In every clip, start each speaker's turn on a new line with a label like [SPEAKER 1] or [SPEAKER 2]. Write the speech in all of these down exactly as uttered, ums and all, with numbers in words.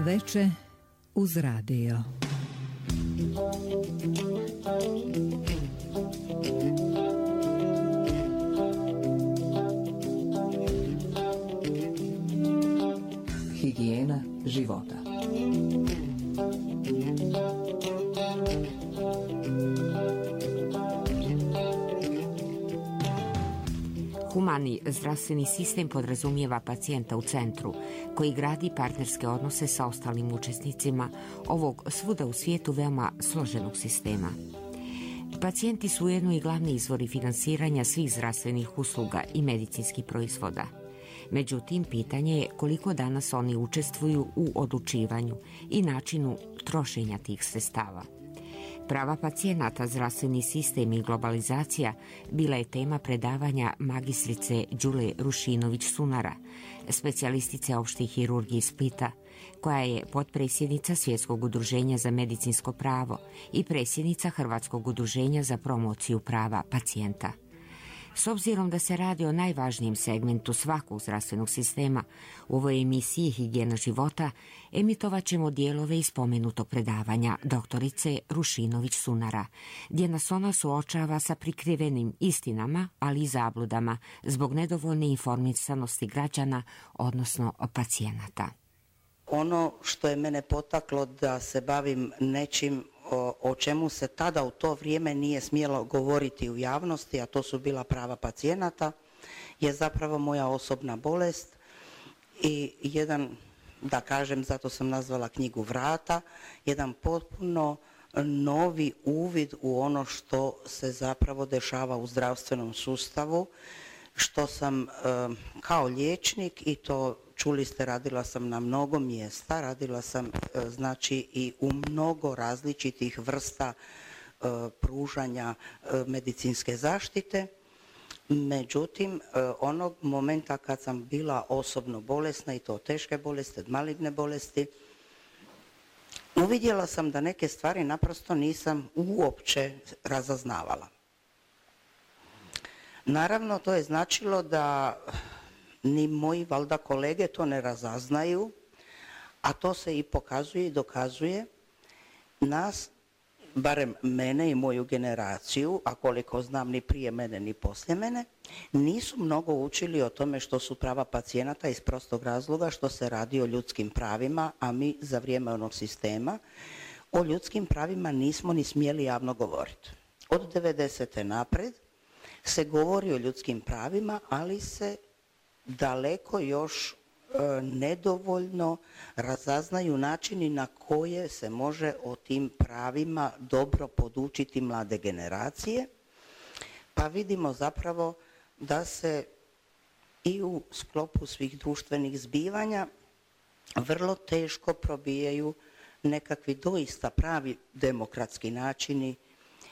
[SPEAKER 1] veče uz radio.
[SPEAKER 2] Higijena života.
[SPEAKER 3] Humani zdravstveni sistem podrazumijeva pacijenta u centru, koji gradi partnerske odnose sa ostalim učesnicima ovog svuda u svijetu veoma složenog sistema. Pacijenti su ujedno i glavni izvori finansiranja svih zdravstvenih usluga i medicinskih proizvoda. Međutim, pitanje je koliko danas oni učestvuju u odlučivanju i načinu trošenja tih sredstava. Prava pacijenata, zdravstveni sistem i globalizacija bila je tema predavanja magistrice Đule Rušinović-Sunara, specijalistice opšte hirurgije iz Splita, koja je potpredsjednica Svjetskog udruženja za medicinsko pravo i predsjednica Hrvatskog udruženja za promociju prava pacijenta. S obzirom da se radi o najvažnijem segmentu svakog zdravstvenog sistema, u ovoj emisiji Higijena života emitovat ćemo dijelove iz spomenutog predavanja doktorice Rušinović-Sunara, gdje nas ona suočava sa prikrivenim istinama, ali i zabludama zbog nedovoljne informisanosti građana, odnosno pacijenata.
[SPEAKER 4] Ono što je mene potaklo da se bavim nečim o, o čemu se tada u to vrijeme nije smjelo govoriti u javnosti, a to su bila prava pacijenata, je zapravo moja osobna bolest i jedan, da kažem, zato sam nazvala knjigu Vrata, jedan potpuno novi uvid u ono što se zapravo dešava u zdravstvenom sustavu, što sam e, kao liječnik, i to čuli ste, radila sam na mnogo mjesta, radila sam e, znači i u mnogo različitih vrsta e, pružanja e, medicinske zaštite. Međutim, e, onog momenta kad sam bila osobno bolesna, i to teške bolesti, maligne bolesti, uvidjela sam da neke stvari naprosto nisam uopće razaznavala. Naravno, to je značilo da ni moji valjda kolege to ne razaznaju, a to se i pokazuje i dokazuje. Nas, barem mene i moju generaciju, a koliko znam ni prije mene ni poslije mene, nisu mnogo učili o tome što su prava pacijenata iz prostog razloga što se radi o ljudskim pravima, a mi za vrijeme onog sistema o ljudskim pravima nismo ni smjeli javno govoriti. Od devedesete napred se govori o ljudskim pravima, ali se daleko još e, nedovoljno razaznaju načini na koje se može o tim pravima dobro podučiti mlade generacije, pa vidimo zapravo da se i u sklopu svih društvenih zbivanja vrlo teško probijaju nekakvi doista pravi demokratski načini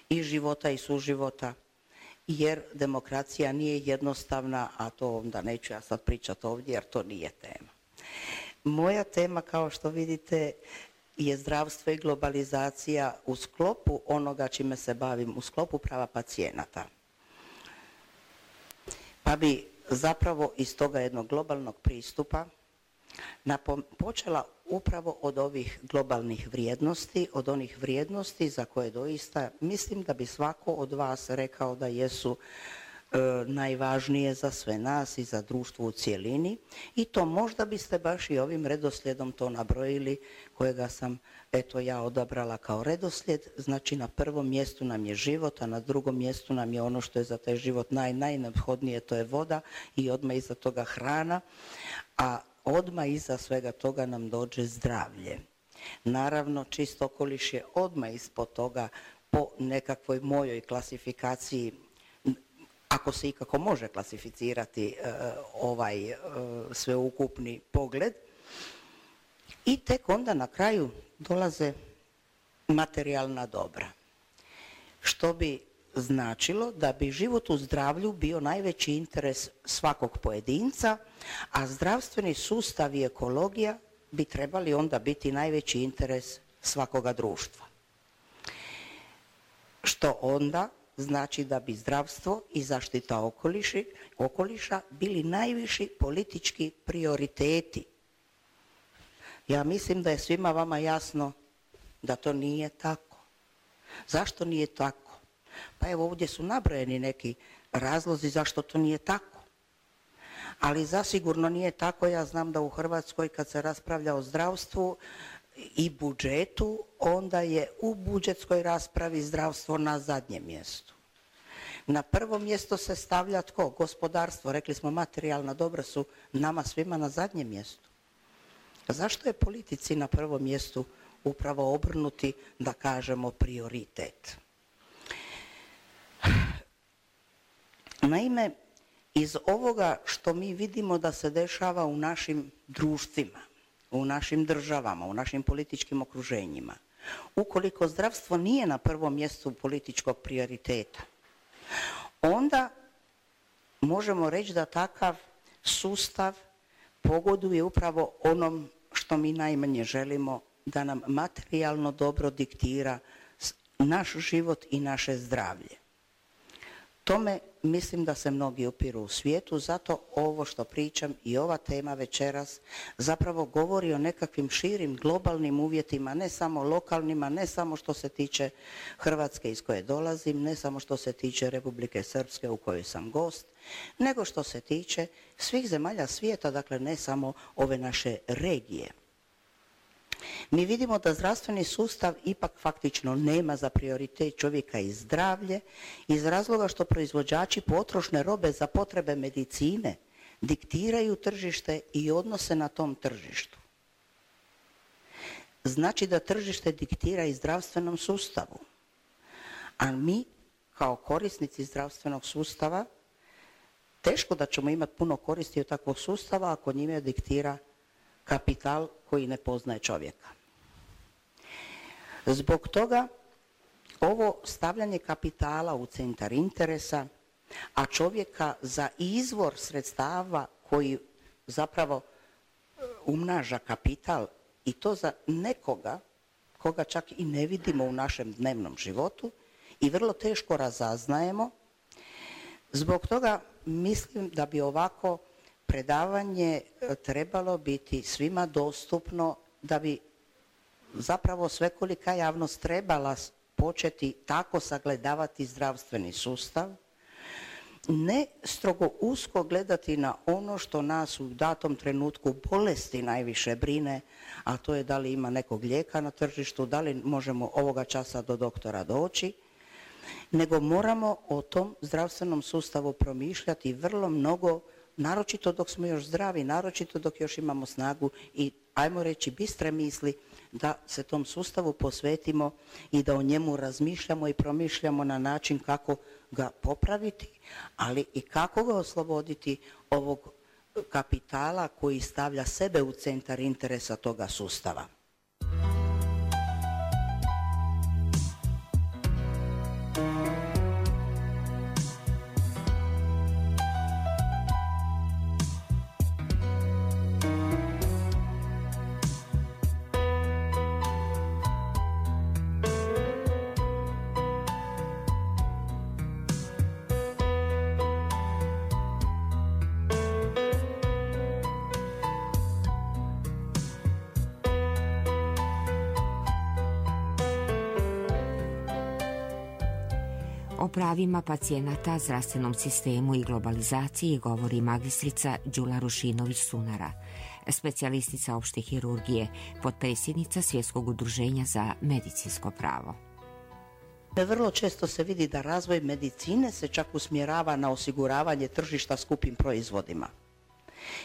[SPEAKER 4] i života i suživota, jer demokracija nije jednostavna, a to onda neću ja sad pričati ovdje jer to nije tema. Moja tema, kao što vidite, je zdravstvo i globalizacija u sklopu onoga čime se bavim, u sklopu prava pacijenata. Pa bi zapravo iz toga jednog globalnog pristupa počela upravo od ovih globalnih vrijednosti, od onih vrijednosti za koje doista mislim da bi svako od vas rekao da jesu e, najvažnije za sve nas i za društvo u cjelini, i to možda biste baš i ovim redoslijedom to nabrojili kojega sam eto ja odabrala kao redoslijed. Znači, na prvom mjestu nam je život, a na drugom mjestu nam je ono što je za taj život naj, najneophodnije, to je voda, i odmah iza toga hrana, a odmah iza svega toga nam dođe zdravlje. Naravno, čist okoliš je odmah ispod toga po nekakvoj mojoj klasifikaciji, ako se ikako može klasificirati e, ovaj e, sveukupni pogled. I tek onda na kraju dolaze materijalna dobra, što bi značilo da bi život u zdravlju bio najveći interes svakog pojedinca, a zdravstveni sustav i ekologija bi trebali onda biti najveći interes svakoga društva. Što onda znači da bi zdravstvo i zaštita okoliši, okoliša bili najviši politički prioriteti. Ja mislim da je svima vama jasno da to nije tako. Zašto nije tako? Pa evo ovdje su nabrojeni neki razlozi zašto to nije tako. Ali zasigurno nije tako. Ja znam da u Hrvatskoj kad se raspravlja o zdravstvu i budžetu, onda je u budžetskoj raspravi zdravstvo na zadnjem mjestu. Na prvo mjesto se stavlja tko? Gospodarstvo. Rekli smo materijalna dobra su nama svima na zadnjem mjestu. Zašto je politici na prvom mjestu upravo obrnuti, da kažemo, prioritet? Naime, iz ovoga što mi vidimo da se dešava u našim društvima, u našim državama, u našim političkim okruženjima, ukoliko zdravstvo nije na prvom mjestu političkog prioriteta, onda možemo reći da takav sustav pogoduje upravo onom što mi najmanje želimo, da nam materijalno dobro diktira naš život i naše zdravlje. Tome mislim da se mnogi upiru u svijetu, zato ovo što pričam i ova tema večeras zapravo govori o nekakvim širim globalnim uvjetima, ne samo lokalnima, ne samo što se tiče Hrvatske iz koje dolazim, ne samo što se tiče Republike Srpske u kojoj sam gost, nego što se tiče svih zemalja svijeta, dakle ne samo ove naše regije. Mi vidimo da zdravstveni sustav ipak faktično nema za prioritet čovjeka i zdravlje iz razloga što proizvođači potrošne robe za potrebe medicine diktiraju tržište i odnose na tom tržištu. Znači da tržište diktira i zdravstvenom sustavu. A mi kao korisnici zdravstvenog sustava teško da ćemo imati puno koristi od takvog sustava ako njime diktira kapital koji ne poznaje čovjeka. Zbog toga ovo stavljanje kapitala u centar interesa, a čovjeka za izvor sredstava koji zapravo umnaža kapital i to za nekoga koga čak i ne vidimo u našem dnevnom životu i vrlo teško razaznajemo. Zbog toga mislim da bi ovako predavanje trebalo biti svima dostupno, da bi zapravo svekolika javnost trebala početi tako sagledavati zdravstveni sustav, ne strogo usko gledati na ono što nas u datom trenutku bolesti najviše brine, a to je da li ima nekog lijeka na tržištu, da li možemo ovoga časa do doktora doći, nego moramo o tom zdravstvenom sustavu promišljati vrlo mnogo, naročito dok smo još zdravi, naročito dok još imamo snagu i, ajmo reći, bistre misli da se tom sustavu posvetimo i da o njemu razmišljamo i promišljamo na način kako ga popraviti, ali i kako ga osloboditi ovog kapitala koji stavlja sebe u centar interesa toga sustava.
[SPEAKER 3] O pravima pacijenata, zdravstvenom sistemu i globalizaciji govori magistrica Đula Rušinović-Sunara, specijalistica opšte hirurgije, potpredsjednica Svjetskog udruženja za medicinsko pravo.
[SPEAKER 4] Vrlo često se vidi da razvoj medicine se čak usmjerava na osiguravanje tržišta skupim proizvodima.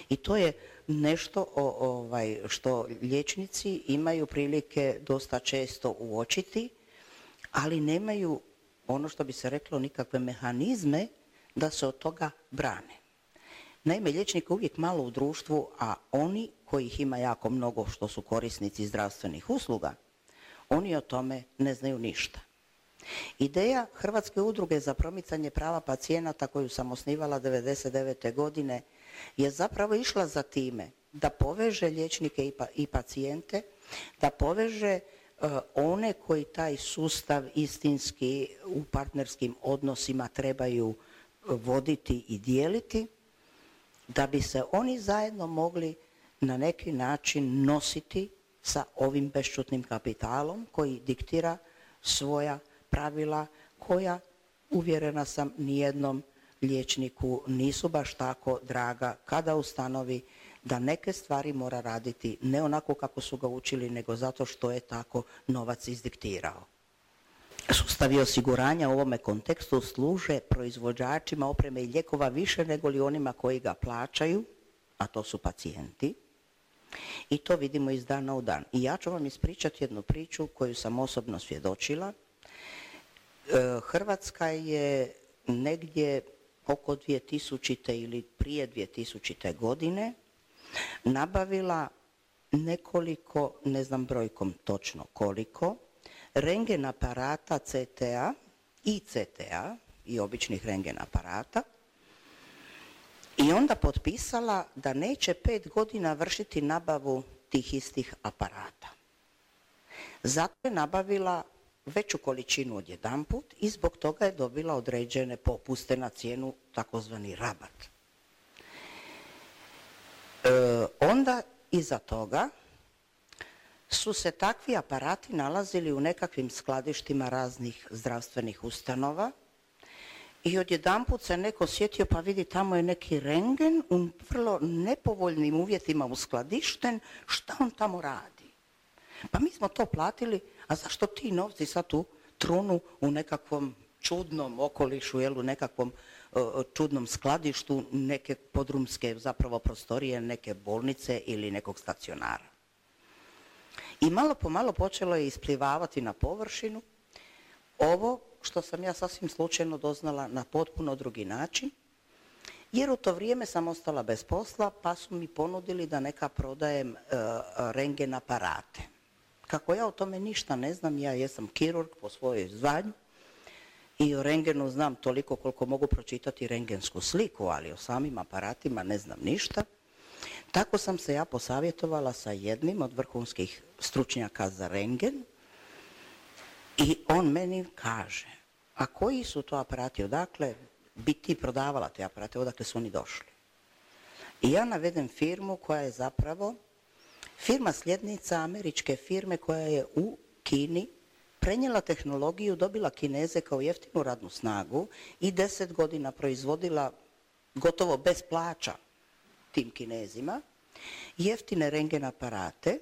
[SPEAKER 4] I to je nešto o, ovaj, što liječnici imaju prilike dosta često uočiti, ali nemaju, ono što bi se reklo, nikakve mehanizme da se od toga brane. Naime, liječnika uvijek malo u društvu, a oni kojih ima jako mnogo što su korisnici zdravstvenih usluga, oni o tome ne znaju ništa. Ideja Hrvatske udruge za promicanje prava pacijenata koju sam osnivala devedeset devete godine je zapravo išla za time da poveže liječnike i pacijente, da poveže one koji taj sustav istinski u partnerskim odnosima trebaju voditi i dijeliti, da bi se oni zajedno mogli na neki način nositi sa ovim bešćutnim kapitalom koji diktira svoja pravila koja, uvjerena sam, nijednom liječniku nisu baš tako draga kada ustanovi da neke stvari mora raditi ne onako kako su ga učili, nego zato što je tako novac izdiktirao. Sustavi osiguranja u ovome kontekstu služe proizvođačima opreme i lijekova više nego li onima koji ga plaćaju, a to su pacijenti. I to vidimo iz dana u dan. I ja ću vam ispričati jednu priču koju sam osobno svjedočila. Hrvatska je negdje oko dvije tisućite ili prije dvije tisućite godine nabavila nekoliko, ne znam brojkom točno koliko, rengen aparata C T A i C T A i običnih rengen aparata i onda potpisala da neće pet godina vršiti nabavu tih istih aparata. Zato je nabavila veću količinu odjedanput i zbog toga je dobila određene popuste na cijenu, takozvani rabat. E, onda iza toga su se takvi aparati nalazili u nekakvim skladištima raznih zdravstvenih ustanova i odjedanput se neko sjetio, pa vidi, tamo je neki rengen u vrlo nepovoljnim uvjetima uskladišten, šta on tamo radi? Pa mi smo to platili, a zašto ti novci sad tu trunu u nekakvom čudnom okolišu, jel, u nekakvom uh, čudnom skladištu neke podrumske zapravo prostorije, neke bolnice ili nekog stacionara. I malo po malo počelo je isplivavati na površinu ovo što sam ja sasvim slučajno doznala na potpuno drugi način, jer u to vrijeme sam ostala bez posla, pa su mi ponudili da neka prodajem uh, rengen aparate. Kako ja o tome ništa ne znam, ja jesam kirurg po svojoj zvanju i o rengenu znam toliko koliko mogu pročitati rengensku sliku, ali o samim aparatima ne znam ništa. Tako sam se ja posavjetovala sa jednim od vrhunskih stručnjaka za rengen i on meni kaže, a koji su to aparati, odakle bi ti prodavala te aparate, odakle su oni došli? I ja navedem firmu koja je zapravo firma sljednica američke firme koja je u Kini prenijela tehnologiju, dobila Kineze kao jeftinu radnu snagu i deset godina proizvodila gotovo bez plaća tim Kinezima jeftine rengen aparate,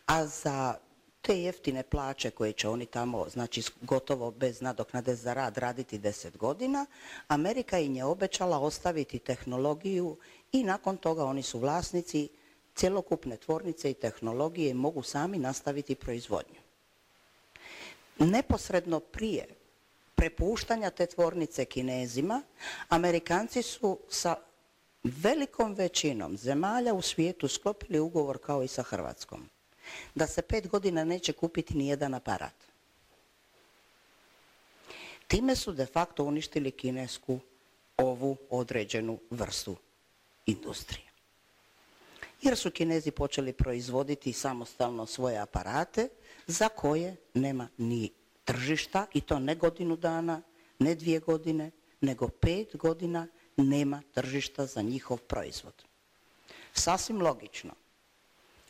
[SPEAKER 4] a za te jeftine plaće koje će oni tamo, znači gotovo bez nadoknade za rad, raditi deset godina, Amerika im je obećala ostaviti tehnologiju i nakon toga oni su vlasnici cjelokupne tvornice i tehnologije i mogu sami nastaviti proizvodnju. Neposredno prije prepuštanja te tvornice Kinezima, Amerikanci su sa velikom većinom zemalja u svijetu sklopili ugovor kao i sa Hrvatskom, da se pet godina neće kupiti ni jedan aparat. Time su de facto uništili kinesku ovu određenu vrstu industrije. Jer su Kinezi počeli proizvoditi samostalno svoje aparate za koje nema ni tržišta, i to ne godinu dana, ne dvije godine, nego pet godina nema tržišta za njihov proizvod. Sasvim logično.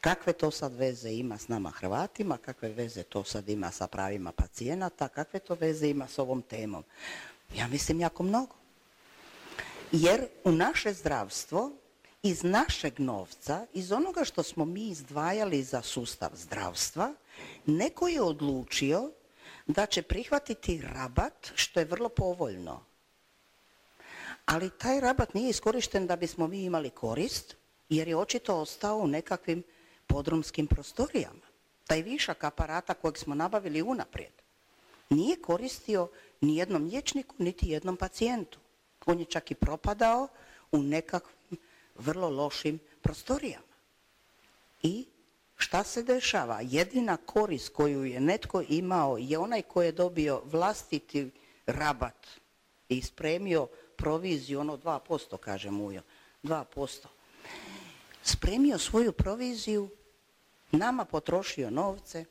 [SPEAKER 4] Kakve to sad veze ima s nama Hrvatima, kakve veze to sad ima sa pravima pacijenata, kakve to veze ima s ovom temom? Ja mislim jako mnogo. Jer u naše zdravstvo iz našeg novca, iz onoga što smo mi izdvajali za sustav zdravstva, neko je odlučio da će prihvatiti rabat, što je vrlo povoljno. Ali taj rabat nije iskorišten da bismo mi imali korist, jer je očito ostao u nekakvim podrumskim prostorijama. Taj višak aparata kojeg smo nabavili unaprijed nije koristio ni jednom liječniku, niti jednom pacijentu. On je čak i propadao u nekakvim vrlo lošim prostorijama. I šta se dešava? Jedina korist koju je netko imao je onaj koji je dobio vlastiti rabat i spremio proviziju, ono dva posto, kaže Mujo, dva posto. Spremio svoju proviziju, nama potrošio novce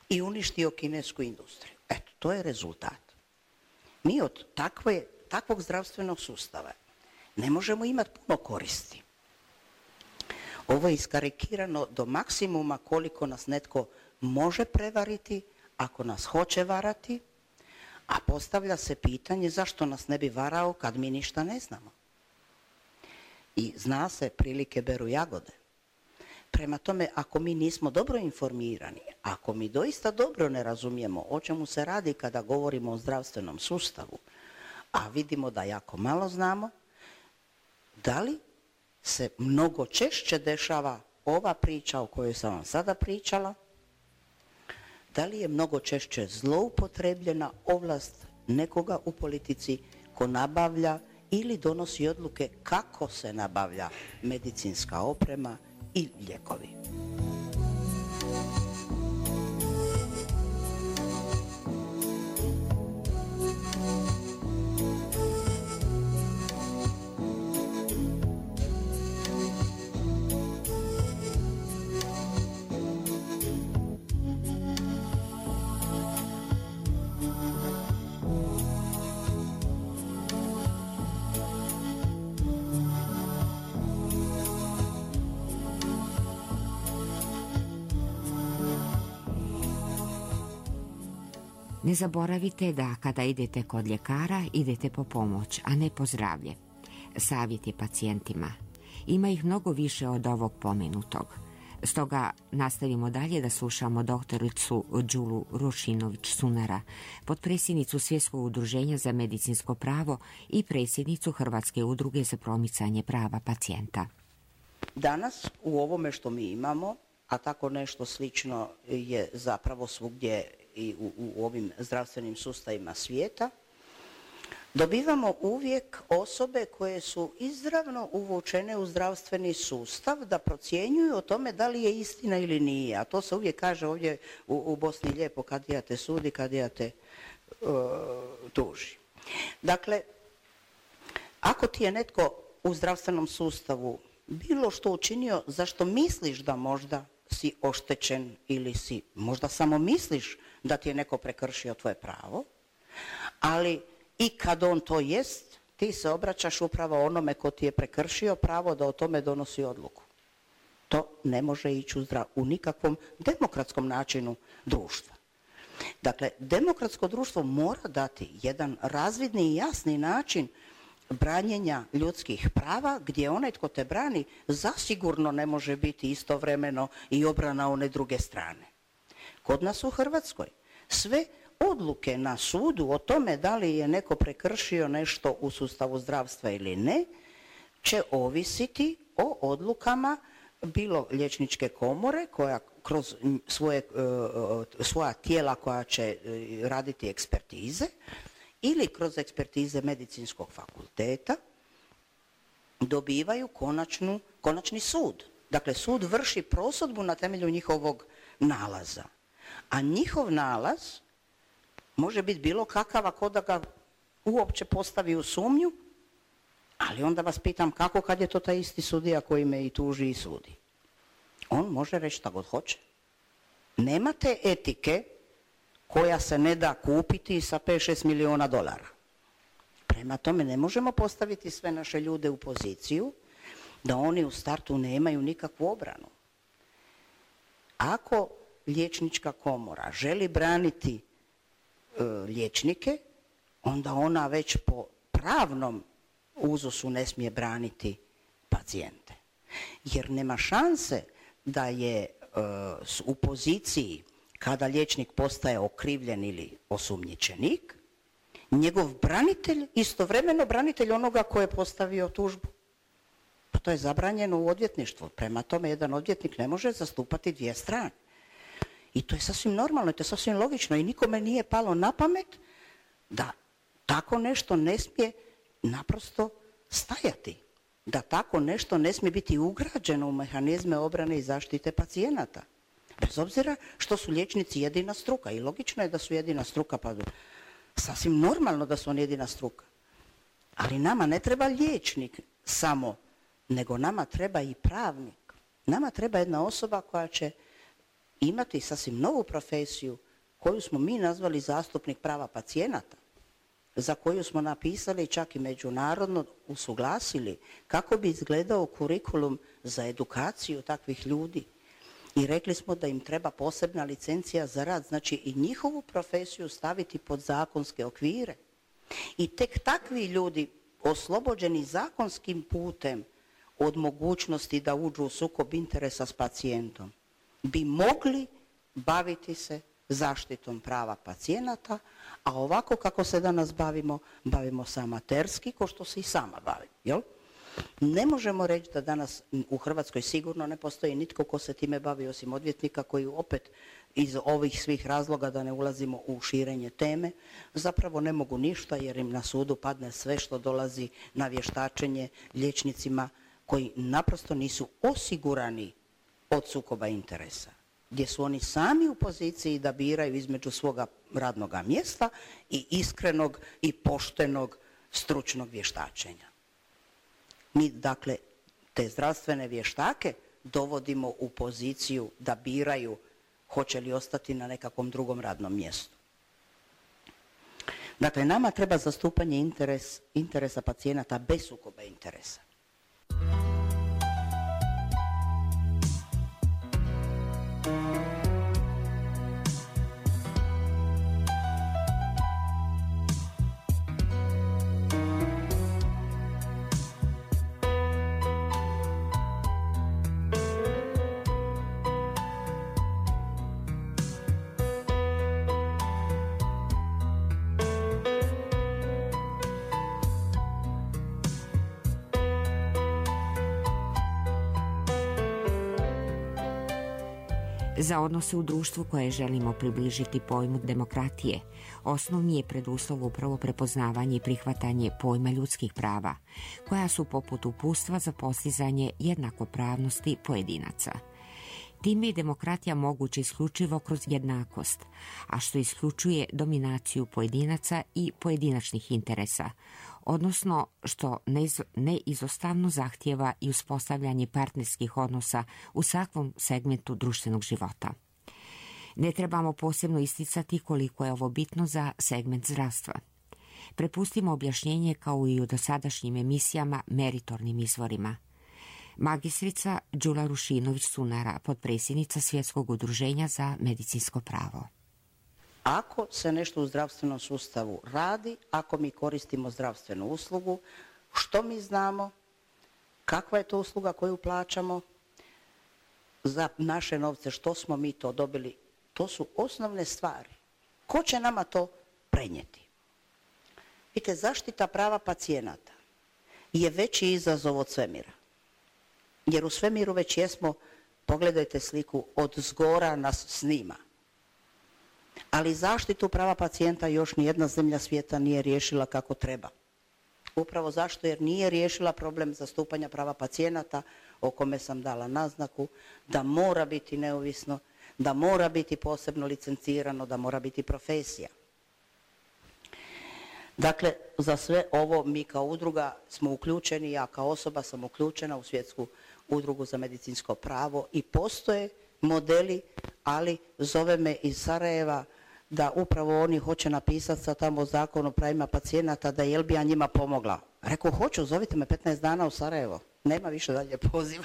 [SPEAKER 4] i uništio kinesku industriju. Eto, to je rezultat. Mi od takve, takvog zdravstvenog sustava ne možemo imati puno koristi. Ovo je iskarikirano do maksimuma koliko nas netko može prevariti, ako nas hoće varati, a postavlja se pitanje zašto nas ne bi varao kad mi ništa ne znamo. I zna se, prilike beru jagode. Prema tome, ako mi nismo dobro informirani, ako mi doista dobro ne razumijemo o čemu se radi kada govorimo o zdravstvenom sustavu, a vidimo da jako malo znamo, da li se mnogo češće dešava ova priča o kojoj sam vam sada pričala, da li je mnogo češće zloupotrebljena ovlast nekoga u politici ko nabavlja ili donosi odluke kako se nabavlja medicinska oprema i lijekovi.
[SPEAKER 3] Ne zaboravite da kada idete kod ljekara, idete po pomoć, a ne po zdravlje. Savjet je pacijentima. Ima ih mnogo više od ovog pomenutog. Stoga nastavimo dalje da slušamo doktoricu Đulu Rušinović-Sunara, potpredsjednicu Svjetskog udruženja za medicinsko pravo i predsjednicu Hrvatske udruge za promicanje prava pacijenta.
[SPEAKER 4] Danas u ovome što mi imamo, a tako nešto slično je zapravo svugdje i u, u ovim zdravstvenim sustavima svijeta, dobivamo uvijek osobe koje su izravno uvučene u zdravstveni sustav da procjenjuju o tome da li je istina ili nije. A to se uvijek kaže ovdje u, u Bosni lijepo, kadija te sudi, kadija te uh, tuži. Dakle, ako ti je netko u zdravstvenom sustavu bilo što učinio za što misliš da možda si oštećen ili si možda samo misliš da ti je neko prekršio tvoje pravo, ali i kad on to jest, ti se obraćaš upravo onome ko ti je prekršio pravo da o tome donosi odluku. To ne može ići u, zdrav, u nikakvom demokratskom načinu društva. Dakle, demokratsko društvo mora dati jedan razvidni i jasni način branjenja ljudskih prava, gdje onaj tko te brani zasigurno ne može biti istovremeno i obrana one druge strane. Kod nas u Hrvatskoj sve odluke na sudu o tome da li je neko prekršio nešto u sustavu zdravstva ili ne, će ovisiti o odlukama bilo liječničke komore koja kroz svoje, svoja tijela koja će raditi ekspertize ili kroz ekspertize medicinskog fakulteta dobivaju konačnu, konačni sud. Dakle, sud vrši prosudbu na temelju njihovog nalaza. A njihov nalaz može biti bilo kakav ako da ga uopće postavi u sumnju, ali onda vas pitam kako kad je to taj isti sudija koji me i tuži i sudi. On može reći šta god hoće. Nema te etike koja se ne da kupiti sa pet šest milijuna dolara. Prema tome ne možemo postaviti sve naše ljude u poziciju da oni u startu nemaju nikakvu obranu. Ako liječnička komora želi braniti e, liječnike, onda ona već po pravnom uzusu ne smije braniti pacijente. Jer nema šanse da je e, u poziciji kada liječnik postaje okrivljen ili osumnjičenik, njegov branitelj istovremeno branitelj onoga ko je postavio tužbu. Pa to je zabranjeno u odvjetništvu. Prema tome jedan odvjetnik ne može zastupati dvije strane. I to je sasvim normalno, to je sasvim logično i nikome nije palo na pamet da tako nešto ne smije naprosto stajati. Da tako nešto ne smije biti ugrađeno u mehanizme obrane i zaštite pacijenata. Bez obzira što su liječnici jedina struka i logično je da su jedina struka, pa sasvim normalno da su oni jedina struka. Ali nama ne treba liječnik samo, nego nama treba i pravnik. Nama treba jedna osoba koja će imati sasvim novu profesiju koju smo mi nazvali zastupnik prava pacijenata. za koju smo napisali čak i međunarodno usuglasili kako bi izgledao kurikulum za edukaciju takvih ljudi. I rekli smo da im treba posebna licencija za rad, znači i njihovu profesiju staviti pod zakonske okvire. I tek takvi ljudi oslobođeni zakonskim putem od mogućnosti da uđu u sukob interesa s pacijentom bi mogli baviti se zaštitom prava pacijenata, a ovako kako se danas bavimo, bavimo se amaterski, ko što se i sama bavim. Jel? Ne možemo reći da danas u Hrvatskoj sigurno ne postoji nitko ko se time bavi osim odvjetnika koji opet iz ovih svih razloga, da ne ulazimo u širenje teme, zapravo ne mogu ništa jer im na sudu padne sve što dolazi na vještačenje liječnicima koji naprosto nisu osigurani od sukoba interesa, gdje su oni sami u poziciji da biraju između svoga radnoga mjesta i iskrenog i poštenog stručnog vještačenja. Mi, dakle, te zdravstvene vještake dovodimo u poziciju da biraju hoće li ostati na nekakvom drugom radnom mjestu. Dakle, nama treba zastupanje interes, interesa pacijenata bez sukoba interesa.
[SPEAKER 3] Za odnose u društvu koje želimo približiti pojmu demokratije, osnovni je preduslov upravo prepoznavanje i prihvatanje pojma ljudskih prava, koja su poput uputstva za postizanje jednakopravnosti pojedinaca. Time je demokratija moguća isključivo kroz jednakost, a što isključuje dominaciju pojedinaca i pojedinačnih interesa, odnosno što neizostavno zahtijeva i uspostavljanje partnerskih odnosa u svakom segmentu društvenog života. Ne trebamo posebno isticati koliko je ovo bitno za segment zdravstva. Prepustimo objašnjenje kao i u dosadašnjim emisijama meritornim izvorima. Magistrica Đula Rušinović-Sunara, potpredsjednica Svjetskog udruženja za medicinsko pravo.
[SPEAKER 4] Ako se nešto u zdravstvenom sustavu radi, ako mi koristimo zdravstvenu uslugu, što mi znamo, kakva je to usluga koju plaćamo, za naše novce što smo mi to dobili, to su osnovne stvari. Ko će nama to prenijeti? Vidite, zaštita prava pacijenata je veći izazov od svemira. Jer u svemiru već jesmo, pogledajte sliku, od zgora nas snima. Ali zaštitu prava pacijenta još nijedna zemlja svijeta nije riješila kako treba. Upravo zašto? Jer nije riješila problem zastupanja prava pacijenata, o kome sam dala naznaku, da mora biti neovisno, da mora biti posebno licencirano, da mora biti profesija. Dakle, za sve ovo mi kao udruga smo uključeni, ja kao osoba sam uključena u Svjetsku udrugu za medicinsko pravo i postoje modeli, ali zove me iz Sarajeva da upravo oni hoće napisati sa tamo zakon o pravima pacijenata da jel bi ja njima pomogla. Rekao, hoću, zovite me petnaest dana u Sarajevo. Nema više dalje poziva.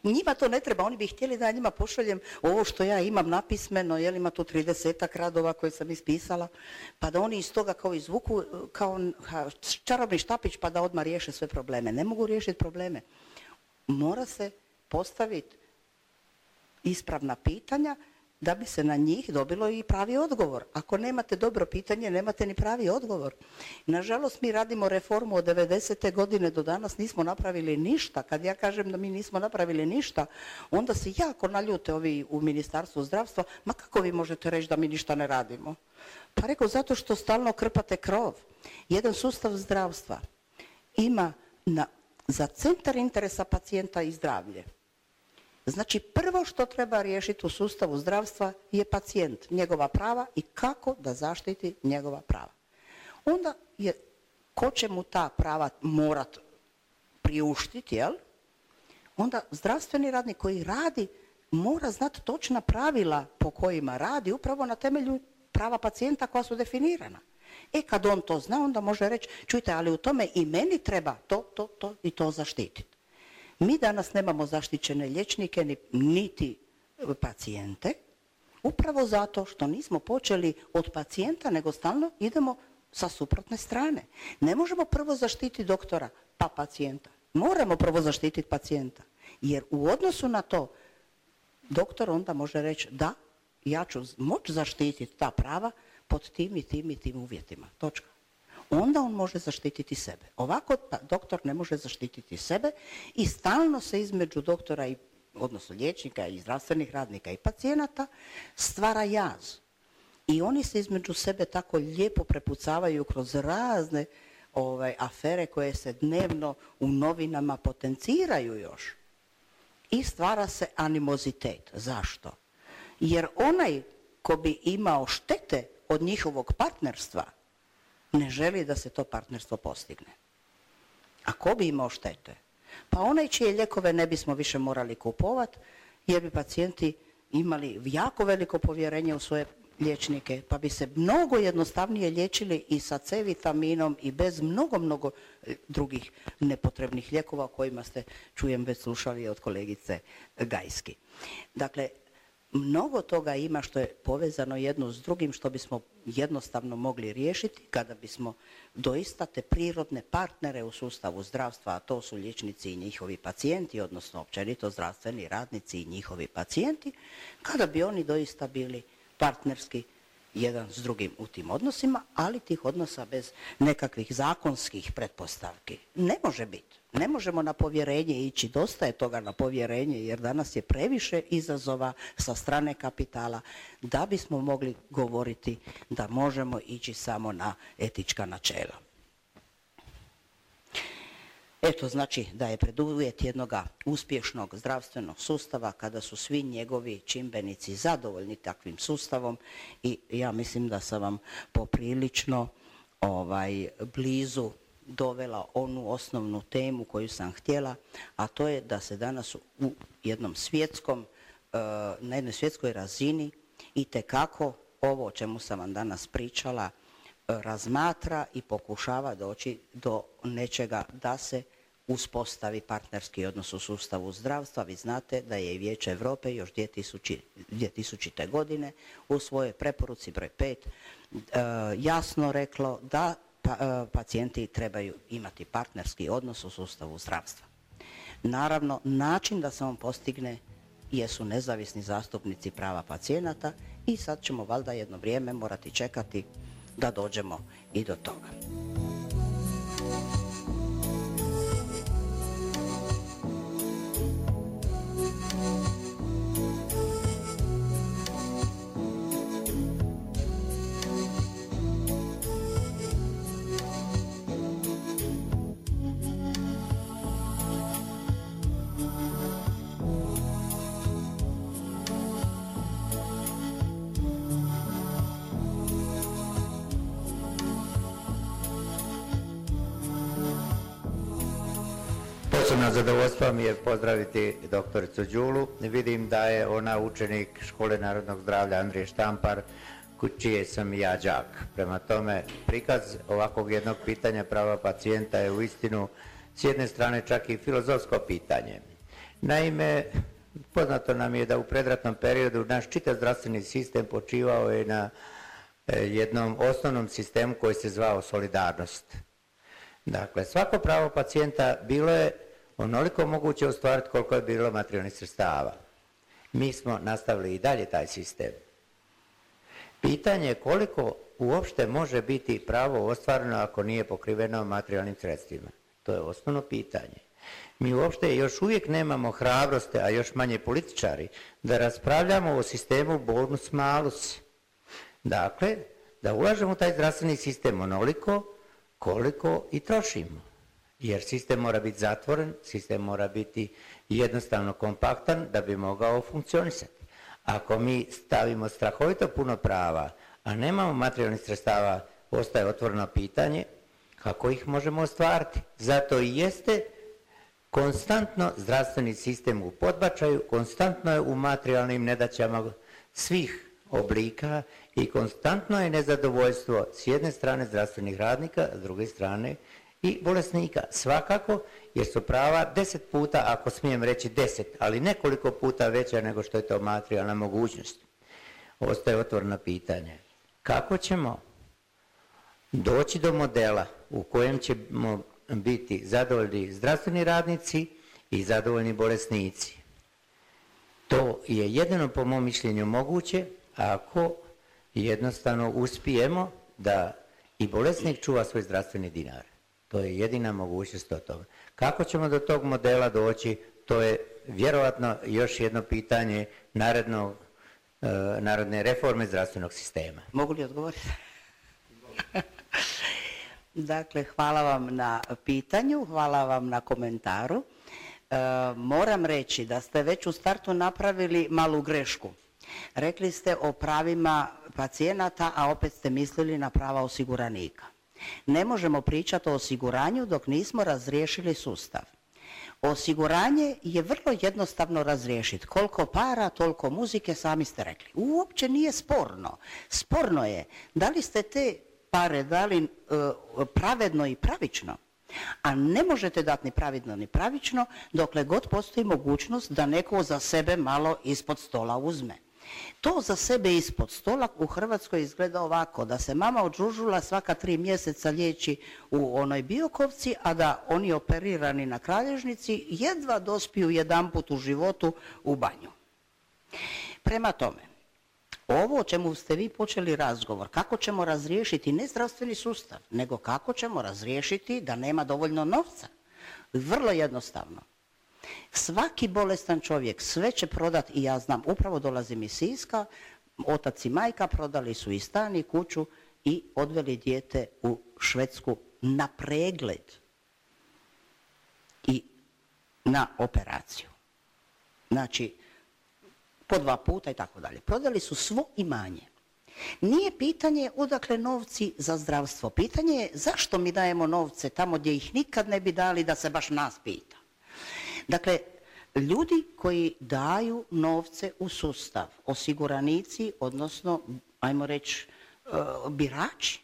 [SPEAKER 4] Njima to ne treba, oni bi htjeli da ja njima pošaljem ovo što ja imam napismeno, jel ima tu tridesetak radova koje sam ispisala, pa da oni iz toga kao izvuku kao čarobni štapić pa da odmah riješe sve probleme. Ne mogu riješiti probleme. Mora se postaviti ispravna pitanja da bi se na njih dobilo i pravi odgovor. Ako nemate dobro pitanje, nemate ni pravi odgovor. Nažalost, mi radimo reformu od devedesete godine do danas, nismo napravili ništa. Kad ja kažem da mi nismo napravili ništa, onda se jako naljute ovi u Ministarstvu zdravstva, ma kako vi možete reći da mi ništa ne radimo? Pa rekao, zato što stalno krpate krov. Jedan sustav zdravstva ima na, za centar interesa pacijenta i zdravlje. Znači, prvo što treba riješiti u sustavu zdravstva je pacijent, njegova prava i kako da zaštiti njegova prava. Onda je, ko će mu ta prava morat priuštiti, jel? Onda zdravstveni radnik koji radi mora znati točna pravila po kojima radi, upravo na temelju prava pacijenta koja su definirana. E kad on to zna, onda može reći, čujte, ali u tome i meni treba to, to, to i to zaštititi. Mi danas nemamo zaštićene liječnike, niti pacijente, upravo zato što nismo počeli od pacijenta, nego stalno idemo sa suprotne strane. Ne možemo prvo zaštititi doktora, pa pacijenta. Moramo prvo zaštititi pacijenta. Jer u odnosu na to, doktor onda može reći, da, ja ću moći zaštititi ta prava pod tim i tim i tim uvjetima. Točka. Onda on može zaštititi sebe. Ovako pa, doktor ne može zaštititi sebe i stalno se između doktora, i, odnosno liječnika i zdravstvenih radnika i pacijenata, stvara jaz. I oni se između sebe tako lijepo prepucavaju kroz razne ovaj, afere koje se dnevno u novinama potenciraju još. I stvara se animozitet. Zašto? Jer onaj ko bi imao štete od njihovog partnerstva ne želi da se to partnerstvo postigne. A ko bi imao štete? Pa onaj čije lijekove ne bismo više morali kupovati jer bi pacijenti imali jako veliko povjerenje u svoje liječnike, pa bi se mnogo jednostavnije liječili i sa C vitaminom i bez mnogo, mnogo drugih nepotrebnih lijekova o kojima ste, čujem, već slušali od kolegice Gajski. Dakle, mnogo toga ima što je povezano jedno s drugim, što bismo jednostavno mogli riješiti kada bismo doista te prirodne partnere u sustavu zdravstva, a to su liječnici i njihovi pacijenti, odnosno općenito zdravstveni radnici i njihovi pacijenti, kada bi oni doista bili partnerski jedan s drugim u tim odnosima, ali tih odnosa bez nekakvih zakonskih pretpostavki. Ne može biti. Ne možemo na povjerenje ići, dosta je toga na povjerenje, jer danas je previše izazova sa strane kapitala da bismo mogli govoriti da možemo ići samo na etička načela. Eto, znači da je preduvjet jednog uspješnog zdravstvenog sustava kada su svi njegovi čimbenici zadovoljni takvim sustavom, i ja mislim da sam vam poprilično ovaj, blizu dovela onu osnovnu temu koju sam htjela, a to je da se danas u jednom svjetskom, na jednoj svjetskoj razini itekako ovo o čemu sam vam danas pričala razmatra i pokušava doći do nečega da se uspostavi partnerski odnos u sustavu zdravstva. Vi znate da je i Vijeće Europe još dvije tisućite. godine u svojoj preporuci broj pet jasno reklo da pacijenti trebaju imati partnerski odnos u sustavu zdravstva. Naravno, način da se on postigne jesu nezavisni zastupnici prava pacijenata i sad ćemo valjda jedno vrijeme morati čekati da dođemo i do toga.
[SPEAKER 2] Posebno zadovoljstvo mi je pozdraviti doktoricu Đulu. Vidim da je ona učenik Škole narodnog zdravlja Andrije Štampar, čije sam i ja đak. Prema tome, prikaz ovakvog jednog pitanja prava pacijenta je uistinu s jedne strane čak i filozofsko pitanje. Naime, poznato nam je da u predratnom periodu naš čitav zdravstveni sistem počivao je na jednom osnovnom sistemu koji se zvao solidarnost. Dakle, svako pravo pacijenta bilo je onoliko moguće ostvariti koliko je bilo materijalnih sredstava. Mi smo nastavili i dalje taj sistem. Pitanje je koliko uopšte može biti pravo ostvareno ako nije pokriveno materijalnim sredstvima. To je osnovno pitanje. Mi uopšte još uvijek nemamo hrabrosti, a još manje političari, da raspravljamo o sistemu bonus malus. Dakle, da ulažemo u taj zdravstveni sistem onoliko koliko i trošimo. Jer sistem mora biti zatvoren, sistem mora biti jednostavno kompaktan da bi mogao funkcionisati. Ako mi stavimo strahovito puno prava, a nemamo materijalnih sredstava, ostaje otvoreno pitanje kako ih možemo ostvariti. Zato i jeste konstantno zdravstveni sistem u podbačaju, konstantno je u materijalnim nedaćama svih oblika i konstantno je nezadovoljstvo s jedne strane zdravstvenih radnika, s druge strane i bolesnika. Svakako, jer su prava deset puta, ako smijem reći deset, ali nekoliko puta veća nego što je to materijalna mogućnost. Ostaje otvoreno pitanje. Kako ćemo doći do modela u kojem ćemo biti zadovoljni zdravstveni radnici i zadovoljni bolesnici? To je jedino po mom mišljenju moguće ako jednostavno uspijemo da i bolesnik čuva svoj zdravstveni dinar. To je jedina mogućnost od toga. Kako ćemo do tog modela doći, to je vjerojatno još jedno pitanje narednog, uh, narodne reforme zdravstvenog sistema.
[SPEAKER 4] Mogu li odgovoriti? Dakle, hvala vam na pitanju, hvala vam na komentaru. E, moram reći da ste već u startu napravili malu grešku. Rekli ste o pravima pacijenata, a opet ste mislili na prava osiguranika. Ne možemo pričati o osiguranju dok nismo razriješili sustav. Osiguranje je vrlo jednostavno razriješiti. Koliko para, toliko muzike, sami ste rekli. Uopće nije sporno. Sporno je da li ste te pare dali uh, pravedno i pravično, a ne možete dati ni pravedno ni pravično dokle god postoji mogućnost da neko za sebe malo ispod stola uzme. To za sebe ispod stola u Hrvatskoj izgleda ovako, da se mama od žužula svaka tri mjeseca liječi u onoj Biokovci, a da oni operirani na Kralježnici jedva dospiju jedanput u životu u banju. Prema tome, ovo o čemu ste vi počeli razgovor, kako ćemo razriješiti ne zdravstveni sustav, nego kako ćemo razriješiti da nema dovoljno novca. Vrlo jednostavno. Svaki bolestan čovjek sve će prodati, i ja znam, upravo dolazim iz Siska, otac i majka prodali su i stan i kuću i odveli dijete u Švedsku na pregled i na operaciju. Znači, po dva puta i tako dalje. Prodali su svo imanje. Nije pitanje odakle novci za zdravstvo. Pitanje je zašto mi dajemo novce tamo gdje ih nikad ne bi dali da se baš nas pita. Dakle, ljudi koji daju novce u sustav, osiguranici, odnosno, ajmo reći, birači,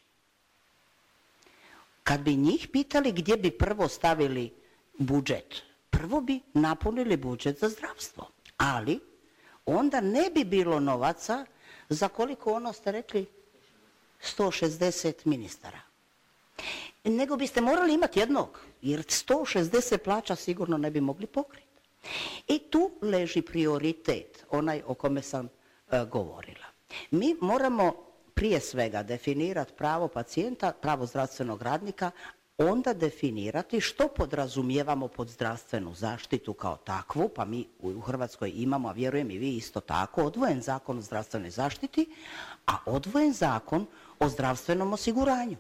[SPEAKER 4] kad bi njih pitali gdje bi prvo stavili budžet, prvo bi napunili budžet za zdravstvo. Ali onda ne bi bilo novaca za koliko ono ste rekli sto šezdeset ministara. Nego biste morali imati jednog, jer sto šezdeset plaća sigurno ne bi mogli pokriti. I tu leži prioritet, onaj o kome sam e, govorila. Mi moramo prije svega definirati pravo pacijenta, pravo zdravstvenog radnika, onda definirati što podrazumijevamo pod zdravstvenu zaštitu kao takvu, pa mi u Hrvatskoj imamo, a vjerujem i vi isto tako, odvojen zakon o zdravstvenoj zaštiti, a odvojen zakon o zdravstvenom osiguranju.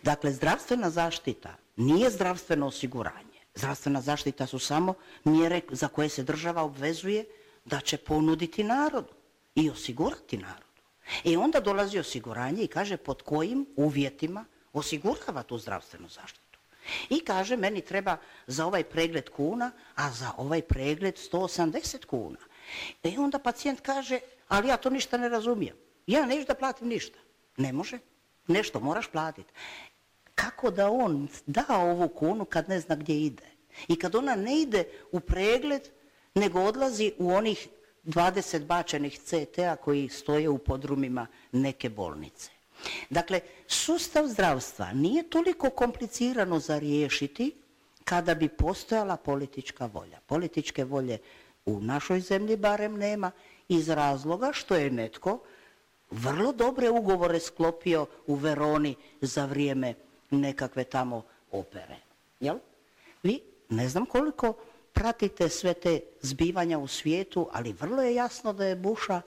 [SPEAKER 4] Dakle, zdravstvena zaštita nije zdravstveno osiguranje. Zdravstvena zaštita su samo mjere za koje se država obvezuje da će ponuditi narodu i osigurati narodu. I onda dolazi osiguranje i kaže pod kojim uvjetima osigurava tu zdravstvenu zaštitu. I kaže meni treba za ovaj pregled kuna, a za ovaj pregled sto osamdeset kuna. I onda pacijent kaže, ali ja to ništa ne razumijem. Ja neću da platim ništa. Ne može. Nešto moraš platiti. Kako da on da ovu kunu kad ne zna gdje ide? I kad ona ne ide u pregled, nego odlazi u onih dvadeset bačenih ce te a koji stoje u podrumima neke bolnice. Dakle, sustav zdravstva nije toliko komplicirano za riješiti kada bi postojala politička volja. Političke volje u našoj zemlji barem nema iz razloga što je netko vrlo dobre ugovore sklopio u Veroni za vrijeme nekakve tamo opere. Jel? Vi ne znam koliko pratite sve te zbivanja u svijetu, ali vrlo je jasno da je Busha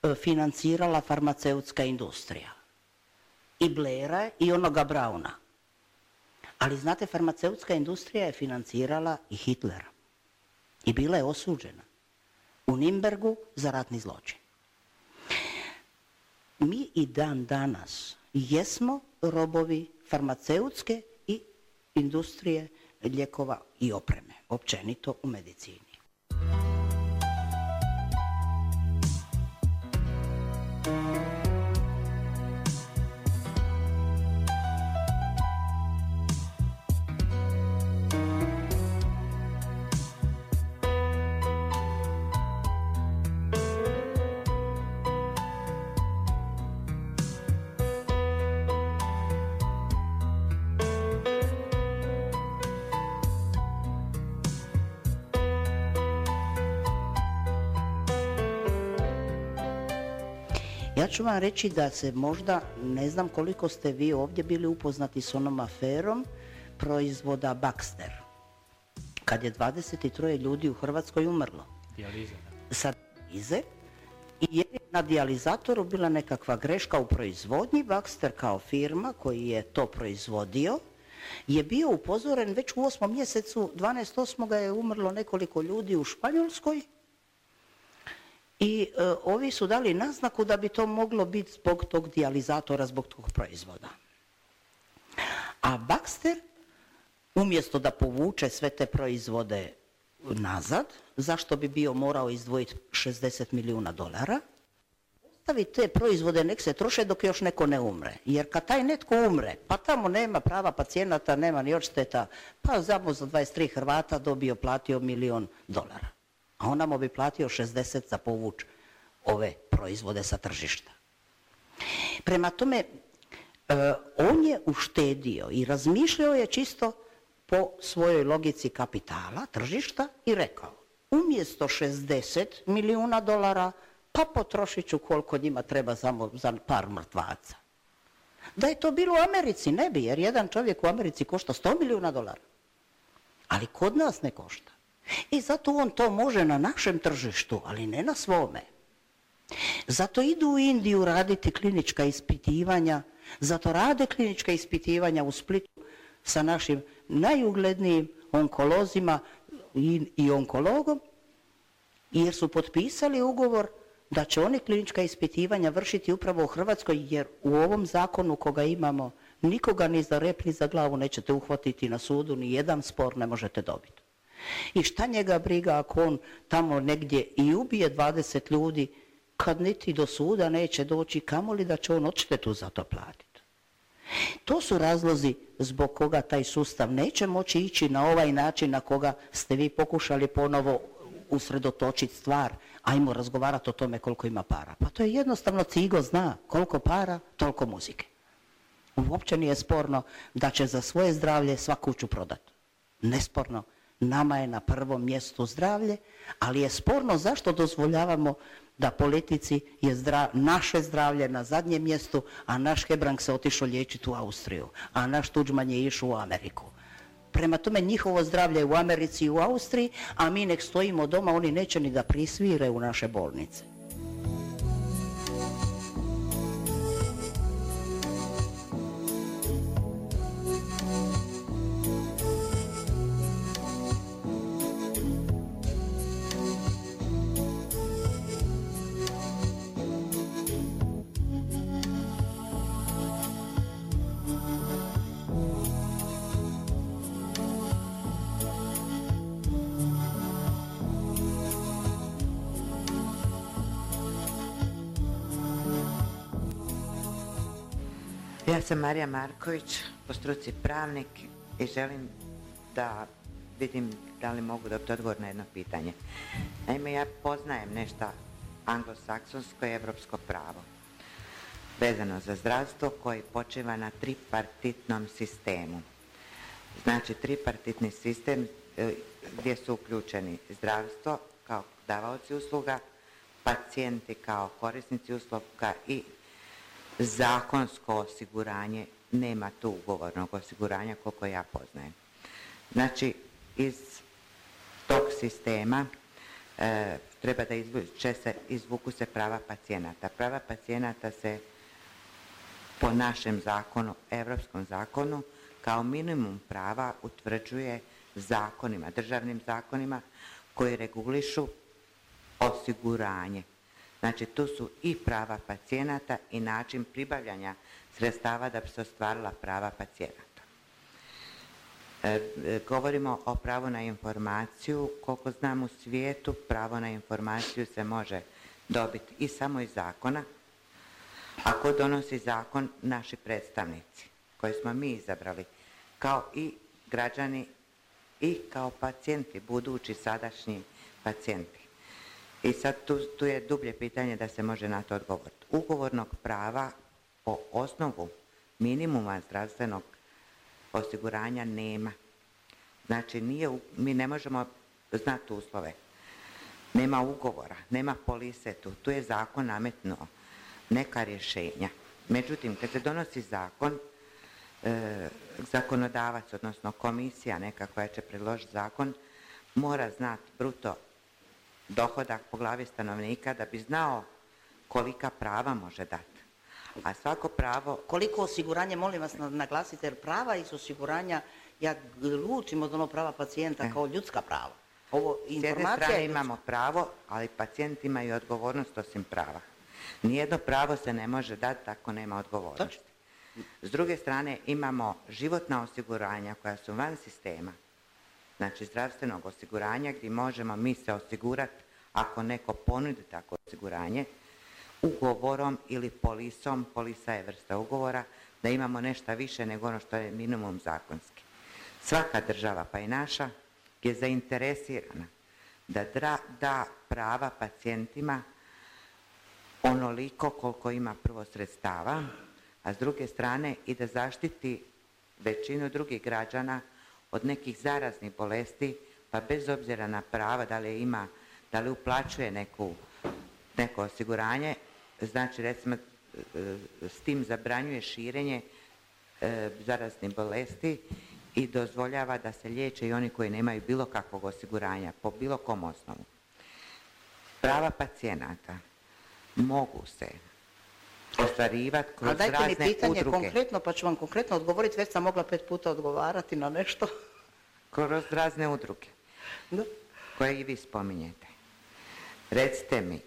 [SPEAKER 4] e, financirala farmaceutska industrija. I Blaira i onoga Brauna. Ali znate, farmaceutska industrija je financirala i Hitlera. I bila je osuđena u Nimbergu za ratni zločin. Mi i dan danas jesmo robovi farmaceutske i industrije lijekova i opreme, općenito u medicini. Ja ću vam reći da se možda, ne znam koliko ste vi ovdje bili upoznati s onom aferom proizvoda Baxter, kad je dvadeset troje ljudi u Hrvatskoj umrlo.
[SPEAKER 5] Dijaliza.
[SPEAKER 4] Sa dijalize, i jer je na dijalizatoru bila nekakva greška u proizvodnji. Baxter kao firma koji je to proizvodio je bio upozoren već u osmom mjesecu, dvanaest osam je umrlo nekoliko ljudi u Španjolskoj i e, ovi su dali naznaku da bi to moglo biti zbog tog dijalizatora, zbog tog proizvoda. A Baxter, umjesto da povuče sve te proizvode nazad, zašto bi bio morao izdvojiti šezdeset milijuna dolara, ostavi te proizvode, nek se troše dok još neko ne umre. Jer kad taj netko umre, pa tamo nema prava pacijenata, nema ni odšteta, pa samo za dvadeset tri Hrvata dobio, platio milijon dolara. A on nam bi platio šezdeset za povuč ove proizvode sa tržišta. Prema tome, e, on je uštedio i razmišljao je čisto po svojoj logici kapitala, tržišta i rekao, umjesto šezdeset milijuna dolara, pa potrošit ću koliko njima treba samo za par mrtvaca. Da je to bilo u Americi, ne bi, jer jedan čovjek u Americi košta sto milijuna dolara. Ali kod nas ne košta. I zato on to može na našem tržištu, ali ne na svome. Zato idu u Indiju raditi klinička ispitivanja, zato rade klinička ispitivanja u Splitu sa našim najuglednijim onkolozima i, i onkologom, jer su potpisali ugovor da će oni klinička ispitivanja vršiti upravo u Hrvatskoj, jer u ovom zakonu koga imamo nikoga ni za rep ni za glavu nećete uhvatiti na sudu, ni jedan spor ne možete dobiti. I šta njega briga ako on tamo negdje i ubije dvadeset ljudi, kad niti do suda neće doći, kamoli da će on odštetu za to platiti. To su razlozi zbog koga taj sustav neće moći ići na ovaj način na koga ste vi pokušali ponovo usredotočiti stvar. Ajmo razgovarati o tome koliko ima para. Pa to je jednostavno, Cigo zna koliko para, toliko muzike. Uopće nije sporno da će za svoje zdravlje sva kuću prodati. Nesporno. Nama je na prvom mjestu zdravlje, ali je sporno zašto dozvoljavamo da politici je zdra, naše zdravlje na zadnjem mjestu, a naš Hebrang se otišao liječiti u Austriju, a naš Tuđman je išao u Ameriku. Prema tome njihovo zdravlje je u Americi i u Austriji, a mi nek stojimo doma, oni neće ni da prisvire u naše bolnice.
[SPEAKER 6] Ja sam Marija Marković, po struci pravnik i želim da vidim da li mogu dobiti odgovor na jedno pitanje. Naime, ja poznajem nešto anglosaksonsko i evropsko pravo vezano za zdravstvo koji počiva na tripartitnom sistemu. Znači, tripartitni sistem gdje su uključeni zdravstvo kao davaoci usluga, pacijenti kao korisnici usluga i zakonsko osiguranje. Nema tu ugovornog osiguranja koliko ja poznajem. Znači, iz tog sistema e, treba da izvuče se, izvuku se prava pacijenata. Prava pacijenata se po našem zakonu, evropskom zakonu, kao minimum prava utvrđuje zakonima, državnim zakonima koji regulišu osiguranje. Znači, tu su i prava pacijenata i način pribavljanja sredstava da bi se ostvarila prava pacijenata. E, govorimo o pravu na informaciju. Koliko znam u svijetu, pravo na informaciju se može dobiti i samo iz zakona. Ako donosi zakon naši predstavnici, koji smo mi izabrali, kao i građani i kao pacijenti, budući sadašnji pacijenti. I sad tu, tu je dublje pitanje da se može na to odgovoriti. Ugovornog prava po osnovu minimuma zdravstvenog osiguranja nema. Znači, nije, mi ne možemo znati uslove. Nema ugovora, nema polise tu. Tu je zakon nametnuo. neka rješenja. Međutim, kad se donosi zakon, e, zakonodavac, odnosno komisija neka koja će predložiti zakon, mora znati bruto dohodak po glavi stanovnika da bi znao kolika prava može dati. A svako pravo...
[SPEAKER 4] Koliko osiguranje, molim vas naglasite, jer prava iz osiguranja, ja lučim od ono prava pacijenta kao ljudska prava. Ovo
[SPEAKER 6] S jedne strane imamo pravo, ali pacijent ima i odgovornost osim prava. Nijedno pravo se ne može dati ako nema odgovornosti. S druge strane imamo životna osiguranja koja su van sistema, znači zdravstvenog osiguranja gdje možemo mi se osigurati ako neko ponudi tako osiguranje, ugovorom ili polisom, polisa je vrsta ugovora, da imamo nešto više nego ono što je minimum zakonski. Svaka država, pa i naša, je zainteresirana da da prava pacijentima onoliko koliko ima prvo sredstava, a s druge strane i da zaštiti većinu drugih građana od nekih zaraznih bolesti, pa bez obzira na prava da li ima, da li uplaćuje neku, neko osiguranje, znači recimo s tim zabranjuje širenje e, zaraznih bolesti i dozvoljava da se liječe i oni koji nemaju bilo kakvog osiguranja po bilo kom osnovu. Prava pacijenata mogu se ostvarivati kroz razne udruge. A dajte mi pitanje udruge. Konkretno, pa ću vam konkretno odgovoriti, već sam mogla pet puta odgovarati na nešto. Kroz razne udruge, da, koje i vi spominjete. Recite mi,